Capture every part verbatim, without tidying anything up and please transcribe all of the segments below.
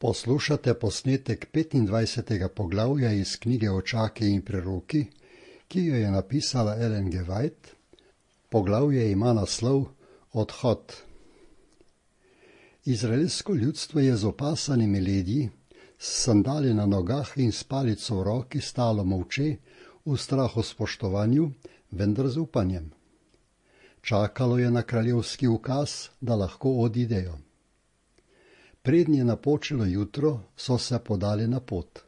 Poslušate posnetek petindvajsetega poglavja iz knjige Očaki in preroki, ki jo je napisala Ellen G. White. Poglavje ima naslov Odhod. Izraelsko ljudstvo je z opasanimi ledji, s sandali na nogah in s palico v roki stalo molče, v strahu spoštovanju, vendar z upanjem. Čakalo je na kraljevski ukaz, da lahko odidejo. Prednje je napočilo jutro, so se podali na pot.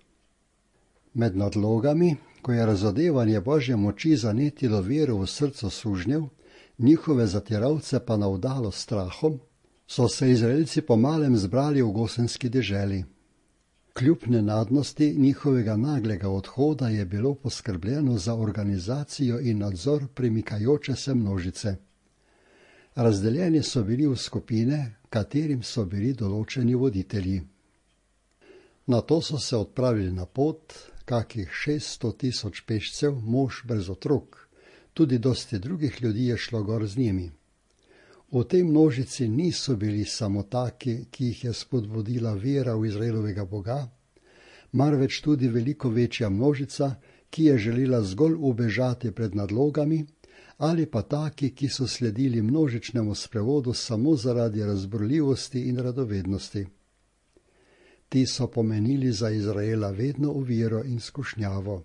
Med nadlogami, ko je razodevanje Božje moči zanetilo vero v srcu sužnjev, njihove zatiralce pa navdalo strahom, so se Izraelci pomalem zbrali v gosenski deželi. Kljub nenadnosti njihovega naglega odhoda je bilo poskrbljeno za organizacijo in nadzor premikajoče se množice. Razdeljeni so bili v skupine, katerim so bili določeni voditelji. Nato so se odpravili na pot, kakih šeststo tisoč pešcev, mož brez otrok, tudi dosti drugih ljudi je šlo gor z njimi. V tej množici niso bili samo taki, ki jih je spodbudila vera v Izraelovega Boga, marveč tudi veliko večja množica, ki je želela zgolj ubežati pred nadlogami, ali pa taki, ki so sledili množičnemu sprevodu samo zaradi razburljivosti in radovednosti. Ti so pomenili za Izraela vedno oviro in skušnjavo.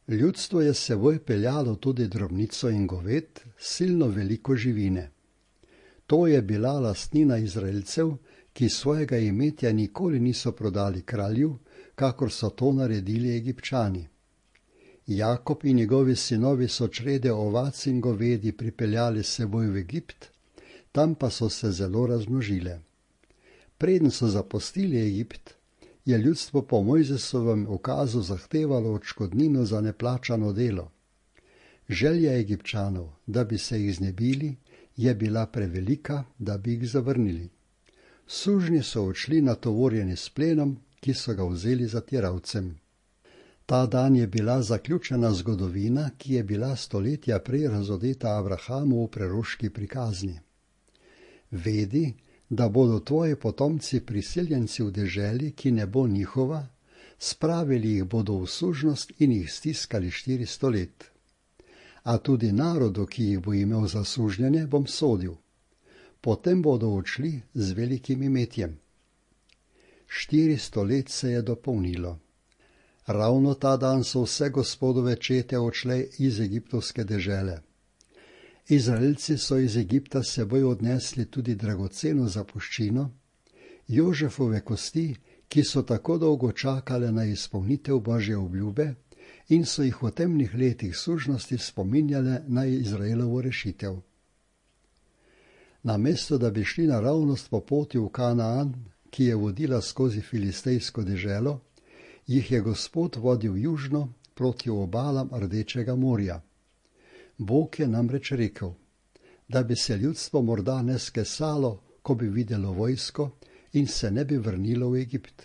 Ljudstvo je s seboj peljalo tudi drobnico in goved, silno veliko živine. To je bila lastnina Izraelcev, ki svojega imetja nikoli niso prodali kralju, kakor so to naredili Egipčani. Jakob in njegovi sinovi so črede ovac in govedi pripeljali s seboj v Egipt, tam pa so se zelo razmnožile. Preden so zapustili Egipt, je ljudstvo po Mojzesovem ukazu zahtevalo odškodnino za neplačano delo. Želja Egipčanov, da bi se jih znebili, je bila prevelika, da bi jih zavrnili. Sužnji so odšli natovorjeni s plenom, ki so ga vzeli zatiralcem. Ta dan je bila zaključena zgodovina, ki je bila stoletja prej razodeta Abrahamu v preroški prikazni. Vedi, da bodo tvoji potomci priseljenci v deželi, ki ne bo njihova, spravili jih bodo v sužnost in jih stiskali štiristo let. A tudi narodu, ki jih bo imel za sužnjene, bom sodil. Potem bodo odšli z velikim imetjem. Štiristo let se je dopolnilo. Ravno ta dan so vse Gospodove čete odšle iz egiptovske dežele. Izraelci so iz Egipta seboj odnesli tudi dragoceno zapuščino, Jožefove kosti, ki so tako dolgo čakale na izpolnitev Božje obljube in so jih v temnih letih sužnosti spominjale na Izraelovo rešitev. Namesto da bi šli naravnost po poti v Kanaan, ki je vodila skozi filistejsko deželo, jih je Gospod vodil južno proti obalam Rdečega morja. Bog je namreč rekel, da bi se ljudstvo morda ne skesalo, ko bi videlo vojsko in se ne bi vrnilo v Egipt.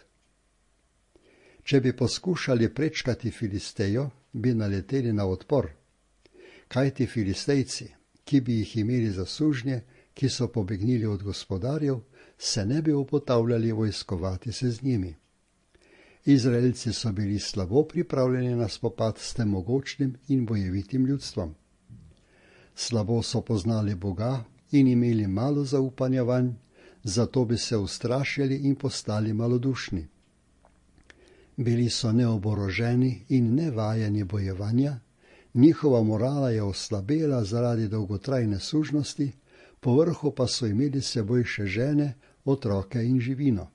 Če bi poskušali prečkati Filistejo, bi naleteli na odpor. Kajti Filistejci, ki bi jih imeli za sužnje, ki so pobegnili od gospodarjev, se ne bi upotavljali vojskovati se z njimi. Izraelci so bili slabo pripravljeni na spopad s tem mogočnim in bojevitim ljudstvom. Slabo so poznali Boga in imeli malo zaupanja vanj, zato bi se ustrašili in postali malodušni. Bili so neoboroženi in nevajeni bojevanja, njihova morala je oslabela zaradi dolgotrajne sužnosti, povrhu pa so imeli s seboj še žene, otroke in živino.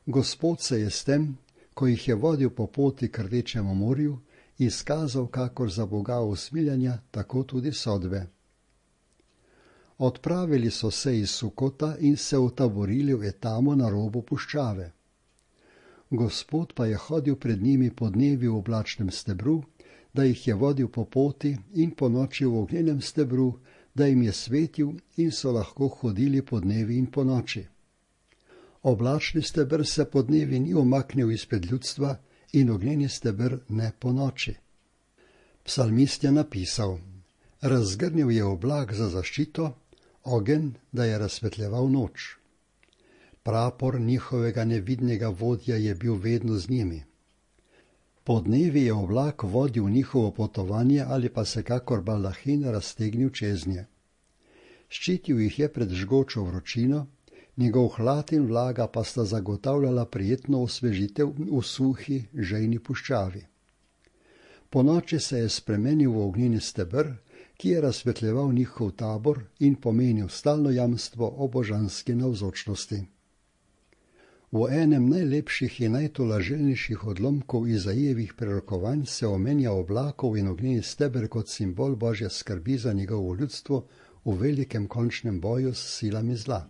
Gospod se je s tem, ko jih je vodil po poti k Rdečemu morju, izkazal kakor za Boga usmiljanja, tako tudi sodbe. Odpravili so se iz Sukota in se utaborili v Etamu na robu puščave. Gospod pa je hodil pred njimi podnevi v oblačnem stebru, da jih je vodil po poti in po noči v ognjenem stebru, da jim je svetil in so lahko hodili podnevi in po noči. Oblačni steber se podnevi ni umaknil izpred ljudstva in ognjeni steber ne po noči. Psalmist je napisal, razgrnil je oblak za zaščito, ogenj, da je razsvetljeval noč. Prapor njihovega nevidnega vodja je bil vedno z njimi. Podnevi je oblak vodil njihovo potovanje ali pa se kakor baldahin raztegnil čez nje. Ščitil jih je pred žgočo vročino, njegov hlad in vlaga pa sta zagotavljala prijetno osvežitev v suhi, žejni puščavi. Ponoči se je spremenil v ognjeni steber, ki je razsvetljeval njihov tabor in pomenil stalno jamstvo o božanski navzočnosti. V enem najlepših in najtolažilnejših odlomkov Izajevih prerokovanj se omenja oblakov in ognjeni steber kot simbol Božje skrbi za njegovo ljudstvo v velikem končnem boju s silami zla.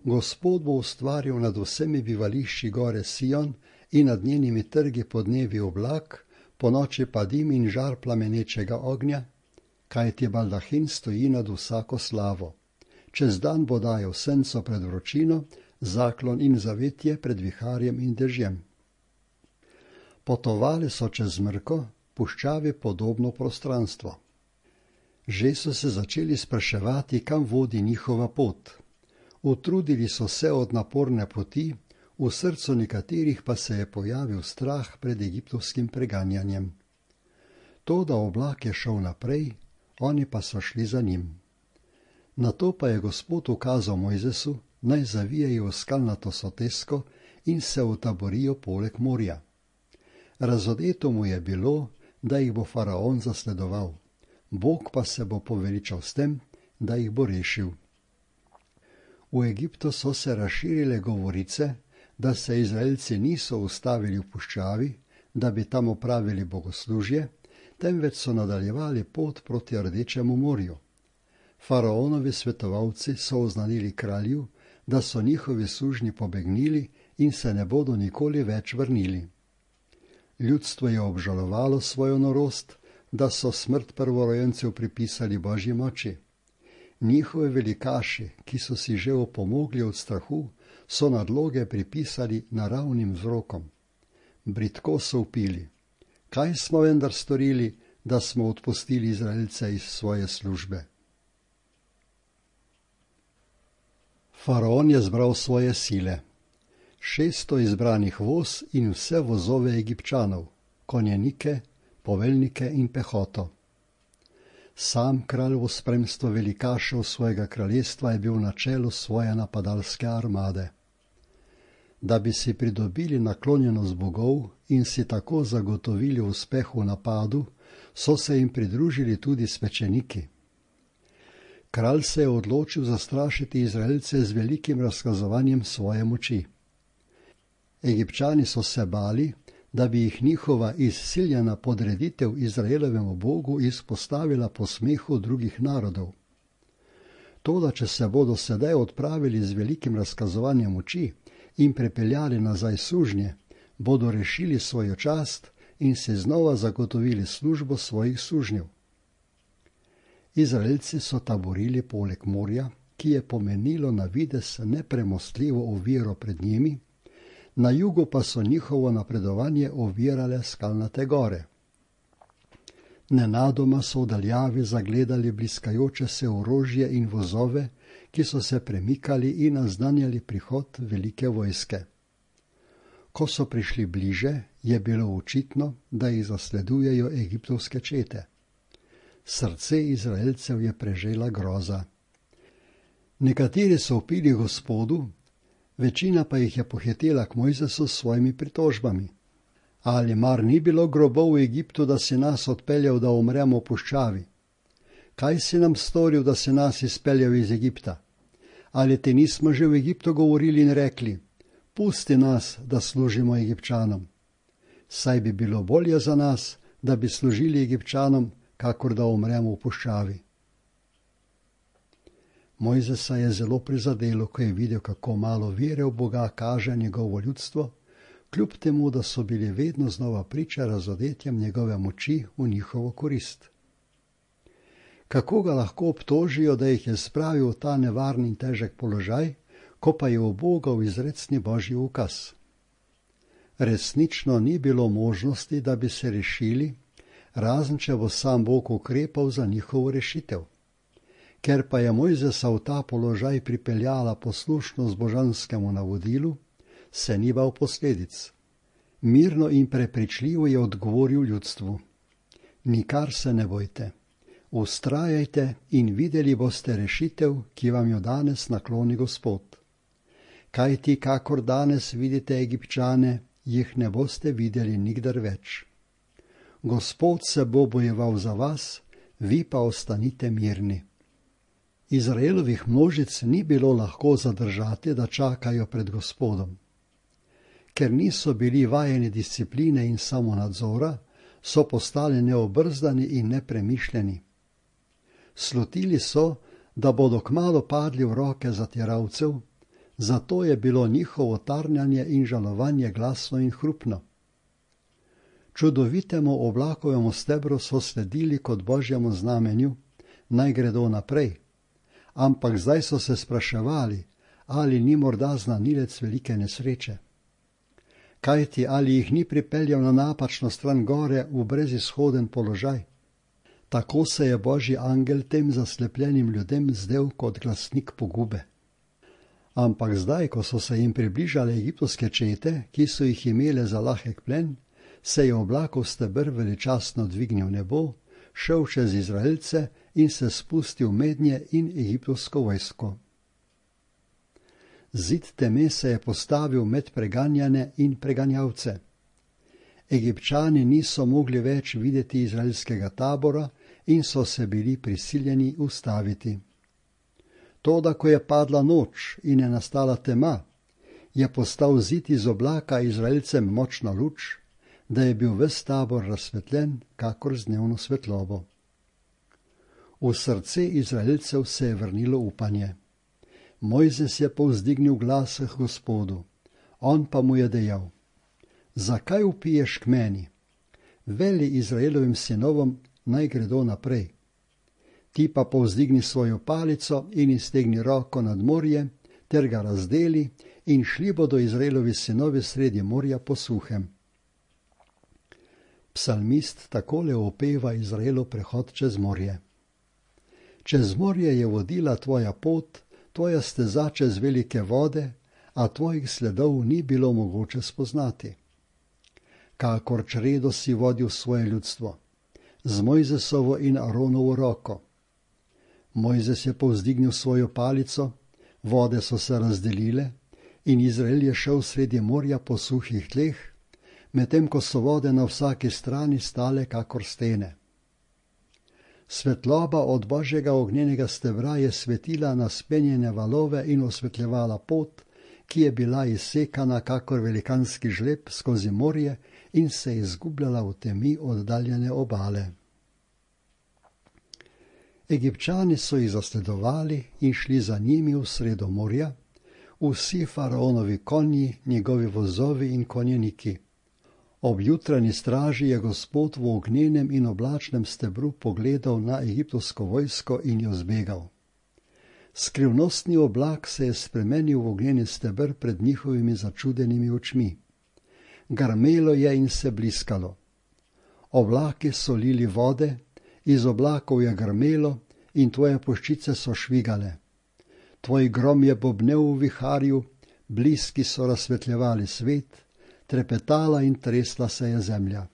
Gospod bo ustvaril nad vsemi bivališči gore Sion in nad njenimi trgi podnevi oblak, ponoči pa dim in žar plamenečega ognja, kajti baldahin stoji nad vsako slavo. Čez dan bo dajal senco pred vročino, zaklon in zavetje pred viharjem in dežjem. Potovali so čez mrko, puščavi podobno prostranstvo. Že so se začeli spraševati, kam vodi njihova pot. Utrudili so se od naporne poti, v srcu nekaterih pa se je pojavil strah pred egiptovskim preganjanjem. To, da oblak je šel naprej, oni pa so šli za njim. Nato pa je Gospod ukazal Mojzesu, naj zavijejo v skalnato sotesko in se utaborijo poleg morja. Razodeto mu je bilo, da jih bo faraon zasledoval. Bog pa se bo poveličal s tem, da jih bo rešil. V Egiptu so se razširile govorice, da se Izraelci niso ustavili v puščavi, da bi tam opravili bogoslužje, temveč so nadaljevali pot proti Rdečemu morju. Faraonovi svetovalci so oznanili kralju, da so njihovi sužnji pobegnili in se ne bodo nikoli več vrnili. Ljudstvo je obžalovalo svojo norost, da so smrt prvorojencev pripisali Božji moči. Njihovi velikaši, ki so si že opomogli od strahu, so nadloge pripisali naravnim vzrokom. Bridko so vpili: kaj smo vendar storili, da smo odpustili Izraelce iz svoje službe? Faraon je zbral svoje sile, šeststo izbranih voz in vse vozove Egipčanov, konjenike, poveljnike in pehoto. Sam kralj v spremstvu velikašev svojega kraljestva je bil na čelu svoje napadalske armade. Da bi si pridobili naklonjenost bogov in si tako zagotovili uspeh v napadu, so se jim pridružili tudi svečeniki. Kralj se je odločil zastrašiti Izraelce z velikim razkazovanjem svoje moči. Egipčani so se bali, da bi jih njihova izsiljena podreditev Izraelovemu bogu izpostavila posmehu drugih narodov. Toda, če se bodo sedaj odpravili z velikim razkazovanjem moči in prepeljali nazaj sužnje, bodo rešili svojo čast in si znova zagotovili službo svojih sužnjev. Izraelci so taborili poleg morja, ki je pomenilo na videz nepremostljivo oviro pred njimi, na jugu pa so njihovo napredovanje ovirale skalnate gore. Nenadoma so v daljavi zagledali bliskajoče se orožje in vozove, ki so se premikali in naznanjali prihod velike vojske. Ko so prišli bliže, je bilo očitno, da jih zasledujejo egiptovske čete. Srce Izraelcev je prežela groza. Nekateri so vpili Gospodu, večina pa jih je pohitela k Mojzesu s svojimi pritožbami. Ali mar ni bilo grobov v Egiptu, da si nas odpeljal, da umremo v puščavi? Kaj si nam storil, da si nas izpeljal iz Egipta? Ali te nismo že v Egiptu govorili in rekli: pusti nas, da služimo Egipčanom? Saj bi bilo bolje za nas, da bi služili Egipčanom, kakor da umremo v puščavi. Mojzesa je zelo prizadelo, ko je videl, kako malo vere v Boga kaže njegovo ljudstvo, kljub temu, da so bili vedno znova priča razodetjem njegove moči v njihovo korist. Kako ga lahko obtožijo, da jih je spravil v ta nevarni in težek položaj, ko pa je ubogal izrecni Božji ukaz? Resnično ni bilo možnosti, da bi se rešili, razen če bo sam Bog ukrepal za njihovo rešitev. Ker pa je Mojzesa v ta položaj pripeljala poslušnost božanskemu navodilu, se ni bal posledic. Mirno in prepričljivo je odgovoril ljudstvu: nikar se ne bojte, vztrajajte in videli boste rešitev, ki vam jo danes nakloni Gospod. Kajti kakor danes vidite Egipčane, jih ne boste videli nikdar več. Gospod se bo bojeval za vas, vi pa ostanite mirni. Izraelovih množic ni bilo lahko zadržati, da čakajo pred Gospodom. Ker niso bili vajeni discipline in samonadzora, so postali neobrzdani in nepremišljeni. Slutili so, da bodo kmalu padli v roke zatiralcev, zato je bilo njihovo tarnanje in žalovanje glasno in hrupno. Čudovitemu oblakovemu stebru so sledili kot božjemu znamenju, naj gredo naprej, ampak zdaj so se spraševali, ali ni morda znanilec velike nesreče. Kajti ali jih ni pripeljal na napačno stran gore v brezizhoden položaj? Tako se je božji angel tem zaslepljenim ljudem zdel kot glasnik pogube. Ampak zdaj, ko so se jim približale egiptovske čete, ki so jih imele za lahek plen, se je oblakov steber veličastno dvignil v nebo, šel čez Izraelce in se spustil mednje in egiptovsko vojsko. Zid teme se je postavil med preganjane in preganjavce. Egipčani niso mogli več videti izraelskega tabora in so se bili prisiljeni ustaviti. Toda, ko je padla noč in je nastala tema, je postal zid iz oblaka Izraelcem močna luč, da je bil ves tabor razsvetljen, kakor z dnevno svetlobo. V srce Izraelcev se je vrnilo upanje. Mojzes je povzdignil glas k Gospodu, on pa mu je dejal: zakaj vpiješ k meni? Veli Izraelovim sinovom, naj gredo naprej. Ti pa povzdigni svojo palico in iztegni roko nad morje, ter ga razdeli, in šli bodo Izraelovi sinovi sredi morja po suhem. Psalmist takole opeva Izraelov prehod čez morje. Čez morje je vodila tvoja pot, tvoja steza čez velike vode, a tvojih sledov ni bilo mogoče spoznati. Kakor čredo si vodil svoje ljudstvo, z Mojzesovo in Aronovo roko. Mojzes je povzdignil svojo palico, vode so se razdelile in Izrael je šel sredi morja po suhih tleh, medtem ko so vode na vsaki strani stale kakor stene. Svetloba od božjega ognjenega stebra je svetila na spenjene valove in osvetljevala pot, ki je bila izsekana kakor velikanski žleb skozi morje in se izgubljala v temi oddaljene obale. Egipčani so jih zasledovali in šli za njimi v sredo morja, vsi faraonovi konji, njegovi vozovi in konjeniki. Ob jutranji straži je Gospod v ognjenem in oblačnem stebru pogledal na egiptovsko vojsko in jo zbegal. Skrivnostni oblak se je spremenil v ognjeni steber pred njihovimi začudenimi očmi. Grmelo je in se bliskalo. Oblaki so lili vode, iz oblakov je grmelo in tvoje puščice so švigale. Tvoj grom je bobnel v viharju, bliski so razsvetljevali svet, trepetala in tresla se je zemlja.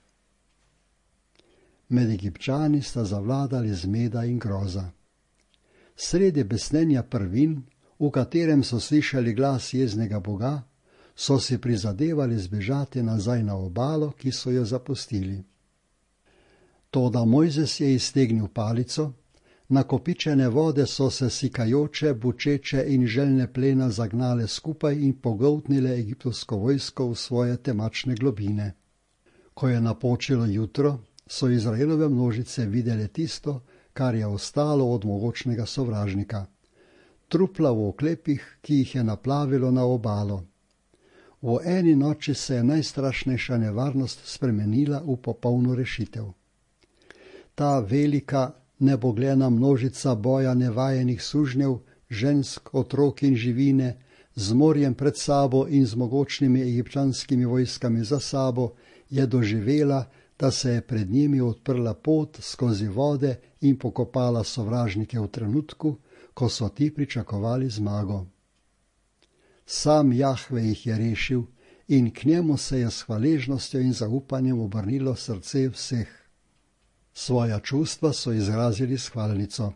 Med Egipčani sta zavladali zmeda in groza. Sredi besnenja prvin, v katerem so slišali glas jeznega Boga, so si prizadevali zbežati nazaj na obalo, ki so jo zapustili. Toda Mojzes je iztegnil palico, nakopičene vode so se sikajoče, bučeče in željne plena zagnale skupaj in pogoltnile egiptovsko vojsko v svoje temačne globine. Ko je napočilo jutro, so Izraelove množice videle tisto, kar je ostalo od mogočnega sovražnika. Trupla v oklepih, ki jih je naplavilo na obalo. V eni noči se je najstrašnejša nevarnost spremenila v popolno rešitev. Ta velika, neboglena množica boja nevajenih sužnjev, žensk, otrok in živine, z morjem pred sabo in z mogočnimi egipčanskimi vojskami za sabo, je doživela, da se je pred njimi odprla pot skozi vode in pokopala sovražnike v trenutku, ko so ti pričakovali zmago. Sam Jahve jih je rešil in k njemu se je s hvaležnostjo in zaupanjem obrnilo srce vseh. Svoja čustva so izrazili s hvalnico.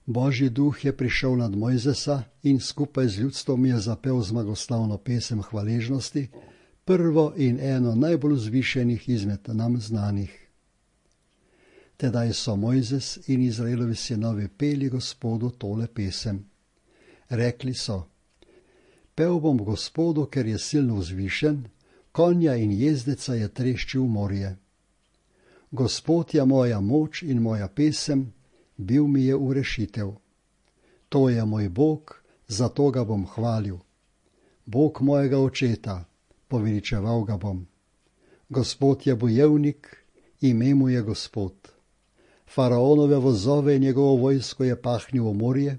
Božji duh je prišel nad Mojzesa in skupaj z ljudstvom je zapel zmagoslavno pesem hvaležnosti, prvo in eno najbolj vzvišenih izmed nam znanih. Tedaj so Mojzes in Izraelovi sinovi peli Gospodu tole pesem. Rekli so: Pel bom Gospodu, ker je silno vzvišen, konja in jezdeca je treščil v morje. Gospod je moja moč in moja pesem, bil mi je v rešitev. To je moj Bog, zato ga bom hvalil. Bog mojega očeta, poveličeval ga bom. Gospod je bojevnik, ime mu je Gospod. Faraonove vozove in njegovo vojsko je pahnil v morje,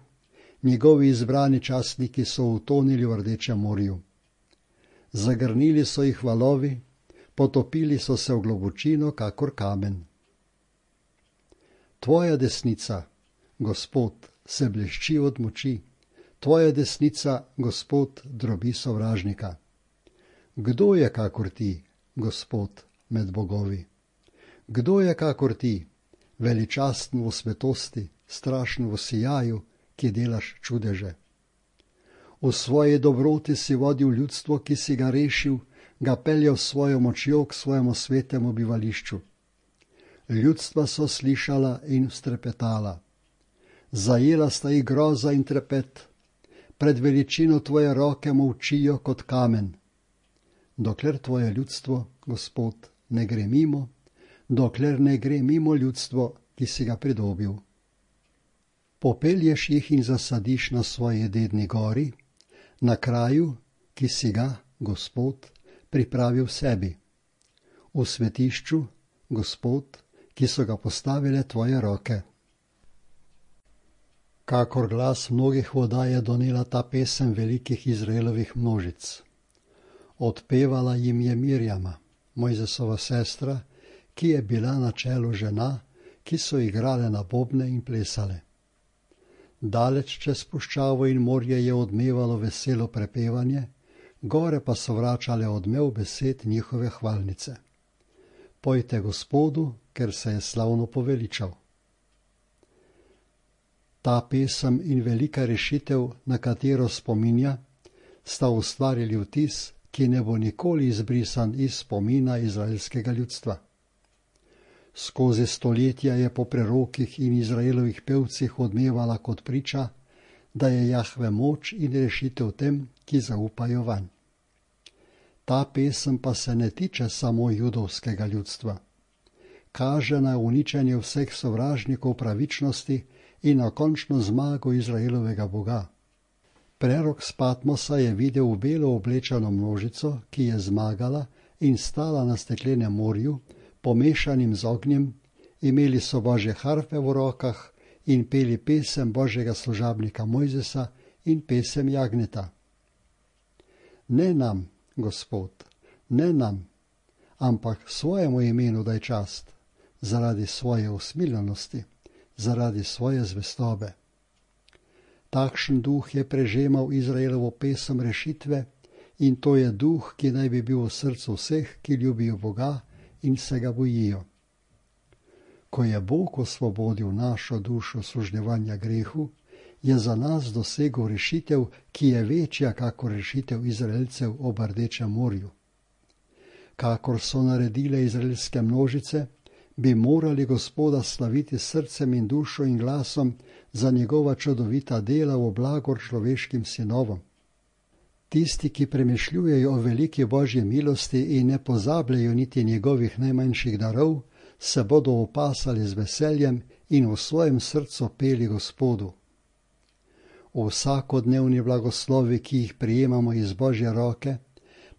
njegovi izbrani častniki so utonili v Rdečem morju. Zagrnili so jih valovi, potopili so se v globočino, kakor kamen. Tvoja desnica, Gospod, se blešči od moči, tvoja desnica, Gospod, drobi sovražnika. Kdo je kakor ti, Gospod, med bogovi? Kdo je kakor ti, veličasten v svetosti, strašen v sijaju, ki delaš čudeže? V svoji dobroti si vodil ljudstvo, ki si ga rešil, ga peljal s svojo močjo k svojemu svetemu bivališču. Ljudstva so slišala in strepetala. Zajela sta jih groza in trepet, pred veličino tvoje roke molčijo kot kamen. Dokler tvoje ljudstvo, Gospod, ne gre mimo, dokler ne gre mimo ljudstvo, ki si ga pridobil. Popelješ jih in zasadiš na svoji dedni gori, na kraju, ki si ga, Gospod, pripravil sebi. V svetišču, Gospod, ki so ga postavile tvoje roke. Kakor glas mnogih voda je donela ta pesem velikih Izraelovih množic. Odpevala jim je Mirjama, Mojzesova sestra, ki je bila na čelu žena, ki so igrale na bobne in plesale. Daleč čez puščavo in morje je odmevalo veselo prepevanje, gore pa so vračale odmev besed njihove hvalnice. Pojte Gospodu, ker se je slavno poveličal. Ta pesem in velika rešitev, na katero spominja, sta ustvarili vtis, ki ne bo nikoli izbrisan iz spomina izraelskega ljudstva. Skozi stoletja je po prerokih in Izraelovih pevcih odmevala kot priča, da je Jahve moč in rešitev tem, ki zaupajo vanj. Ta pesem pa se ne tiče samo judovskega ljudstva. Kaže na uničenje vseh sovražnikov pravičnosti in na končno zmago Izraelovega Boga. Prerok s Patmosa je videl belo oblečeno množico, ki je zmagala in stala na steklenem morju, pomešanim z ognjem, imeli so Božje harfe v rokah in peli pesem Božjega služabnika Mojzesa in pesem jagnjeta. Ne nam, Gospod, ne nam, ampak svojemu imenu daj čast, zaradi svoje usmiljenosti, zaradi svoje zvestobe. Takšen duh je prežemal Izraelovo pesem rešitve in to je duh, ki naj bi bil v srcu vseh, ki ljubijo Boga in se ga bojijo. Ko je Bog osvobodil našo dušo služnevanja grehu, je za nas dosegel rešitev, ki je večja kakor rešitev Izraelcev ob Rdečem morju. Kakor so naredile izraelske množice, bi morali Gospoda slaviti srcem in dušo in glasom za njegova čudovita dela v blagor človeškim sinovom. Tisti, ki premišljujejo o veliki Božji milosti in ne pozabljajo niti njegovih najmanjših darov, se bodo opasali z veseljem in v svojem srcu peli Gospodu. Vsakodnevni blagoslovi, ki jih prijemamo iz Božje roke,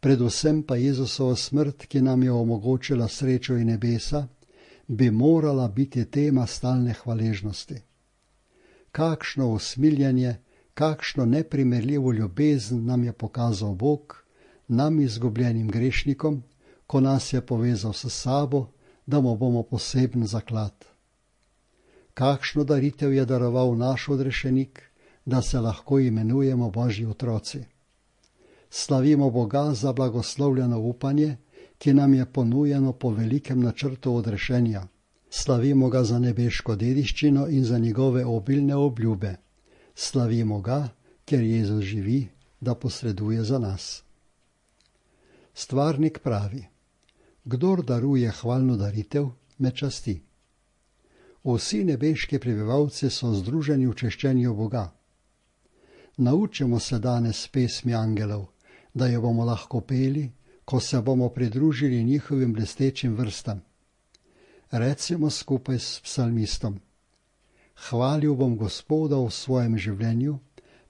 predvsem pa Jezusovo smrt, ki nam je omogočila srečo in nebesa, bi morala biti tema stalne hvaležnosti. Kakšno usmiljenje, kakšno neprimerljivo ljubezen nam je pokazal Bog, nam izgubljenim grešnikom, ko nas je povezal s sabo, da mu bomo poseben zaklad. Kakšno daritev je daroval naš odrešenik, da se lahko imenujemo Božji otroci. Slavimo Boga za blagoslovljeno upanje, ki nam je ponujeno po velikem načrtu odrešenja. Slavimo ga za nebeško dediščino in za njegove obilne obljube. Slavimo ga, ker Jezus živi, da posreduje za nas. Stvarnik pravi: kdor daruje hvalno daritev, me časti. Vsi nebeški prebivalci so združeni v češčenju Boga. Naučimo se danes pesmi angelov, da jo bomo lahko peli, ko se bomo pridružili njihovim blestečim vrstam. Recimo skupaj s psalmistom: hvalil bom Gospoda v svojem življenju,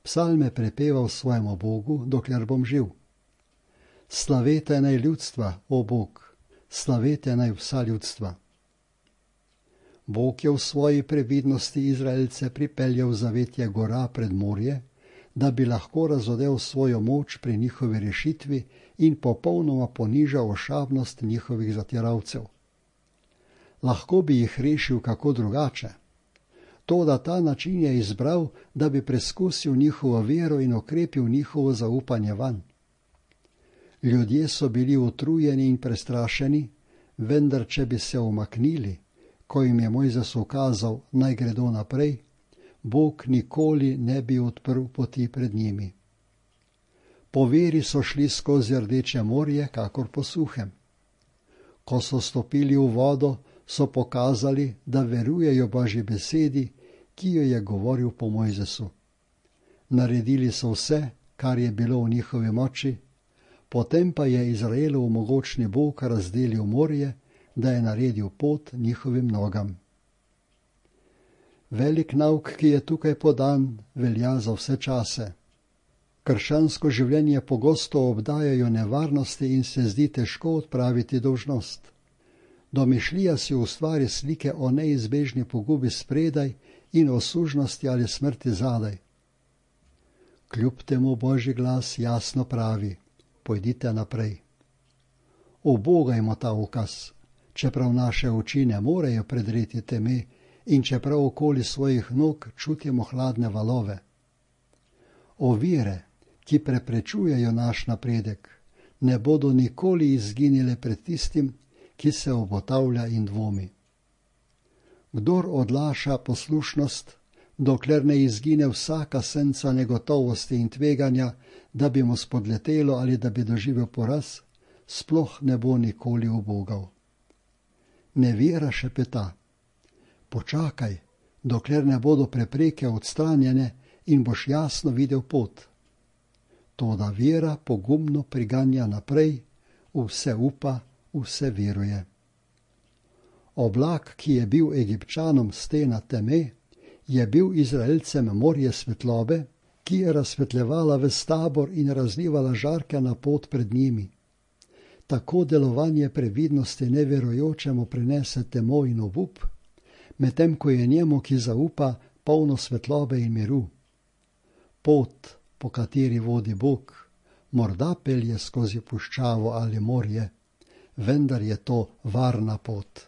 psalme prepeval svojemu Bogu, dokler bom živ. Slavete naj ljudstva, o Bog, slavete naj vsa ljudstva. Bog je v svoji previdnosti Izraelce pripeljal zavetje gora pred morje, da bi lahko razodel svojo moč pri njihovi rešitvi in popolnoma ponižal ošabnost njihovih zatiralcev. Lahko bi jih rešil kako drugače. Toda ta način je izbral, da bi preskusil njihovo vero in okrepil njihovo zaupanje vanj. Ljudje so bili utrujeni in prestrašeni, vendar če bi se umaknili, ko jim je Mojzes ukazal, naj gredo naprej, Bog nikoli ne bi odprl poti pred njimi. Po veri so šli skozi Rdeče morje, kakor po suhem. Ko so stopili v vodo, so pokazali, da verujejo Božji besedi, ki jo je govoril po Mojzesu. Naredili so vse, kar je bilo v njihovi moči, potem pa je Izraelov mogočni Bog razdelil morje, da je naredil pot njihovim nogam. Velik nauk, ki je tukaj podan, velja za vse čase. Krščansko življenje pogosto obdajajo nevarnosti in se zdi težko odpraviti dolžnost. Domišljija si ustvari slike o neizbežni pogubi spredaj in o sužnosti ali smrti zadaj. Kljub temu Božji glas jasno pravi: pojdite naprej. Ubogajmo ta ukaz, čeprav naše oči ne morejo predreti teme in čeprav okoli svojih nog čutimo hladne valove. Ovire, ki preprečujejo naš napredek, ne bodo nikoli izginile pred tistim, ki se obotavlja in dvomi. Kdor odlaša poslušnost, dokler ne izgine vsaka senca negotovosti in tveganja, da bi mu spodletelo ali da bi doživel poraz, sploh ne bo nikoli ubogal. Nevera šepeta: počakaj, dokler ne bodo prepreke odstranjene in boš jasno videl pot. Toda vera pogumno priganja naprej, vse upa, vse veruje. Oblak, ki je bil Egipčanom stena teme, je bil Izraelcem morje svetlobe, ki je razsvetljevala ves tabor in razlivala žarke na pot pred njimi. Tako delovanje previdnosti neverujočemu prinese temo in obup, medtem ko je njemu, ki zaupa, polno svetlobe in miru. Pot, po kateri vodi Bog, morda pelje skozi puščavo ali morje, vendar je to varna pot.